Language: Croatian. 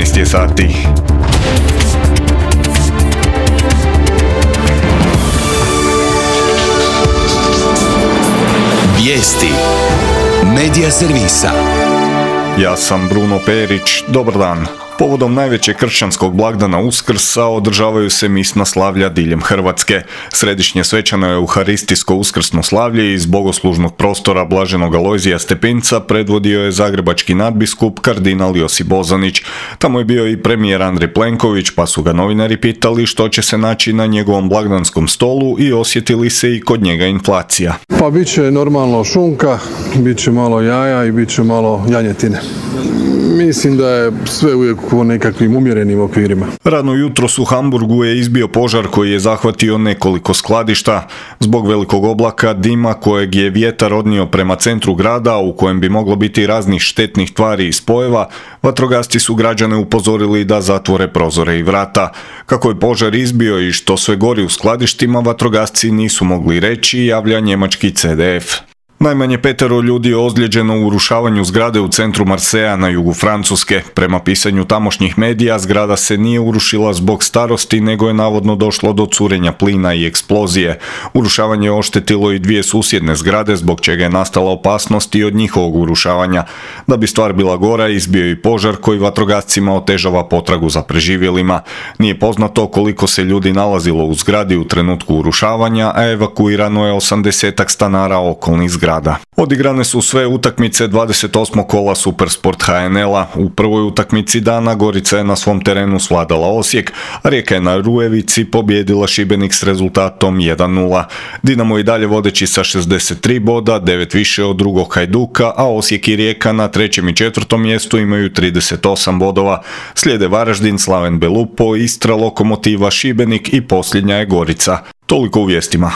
12 je sati. Vijesti Medija servisa. Ja sam Bruno Perić, dobar dan. Povodom najvećeg kršćanskog blagdana Uskrsa održavaju se misna slavlja diljem Hrvatske. Središnje svečano euharistijsko uskrsno slavlje iz bogoslužnog prostora Blaženog Alojzija Stepinca predvodio je zagrebački nadbiskup kardinal Josip Bozanić. Tamo je bio i premijer Andrej Plenković, pa su ga novinari pitali što će se naći na njegovom blagdanskom stolu i osjetili se i kod njega inflacija. Pa bit će normalno šunka, bit će malo jaja i bit će malo janjetine. Mislim da je sve uvijek u nekakvim umjerenim okvirima. Rano jutros u Hamburgu je izbio požar koji je zahvatio nekoliko skladišta. Zbog velikog oblaka dima kojeg je vjetar odnio prema centru grada, u kojem bi moglo biti raznih štetnih tvari i spojeva, vatrogasci su građane upozorili da zatvore prozore i vrata. Kako je požar izbio i što sve gori u skladištima, vatrogasci nisu mogli reći, javlja njemački CDF. Najmanje 5 ljudi je ozlijeđeno u urušavanju zgrade u centru Marseja na jugu Francuske. Prema pisanju tamošnjih medija, zgrada se nije urušila zbog starosti, nego je navodno došlo do curenja plina i eksplozije. Urušavanje je oštetilo i 2 susjedne zgrade, zbog čega je nastala opasnost i od njihovog urušavanja. Da bi stvar bila gora, izbio i požar koji vatrogascima otežava potragu za preživjelima. Nije poznato koliko se ljudi nalazilo u zgradi u trenutku urušavanja, a evakuirano je 80 stanara okolnih zgrada. Odigrane su sve utakmice 28. kola Supersport HNL-a. U prvoj utakmici dana Gorica je na svom terenu svladala Osijek, a Rijeka je na Rujevici pobijedila Šibenik s rezultatom 1:0. Dinamo i dalje vodeći sa 63 boda, 9 više od drugog Hajduka, a Osijek i Rijeka na 3. i 4. mjestu imaju 38 bodova. Slijede Varaždin, Slaven Belupo, Istra, Lokomotiva, Šibenik i posljednja je Gorica. Toliko u vijestima.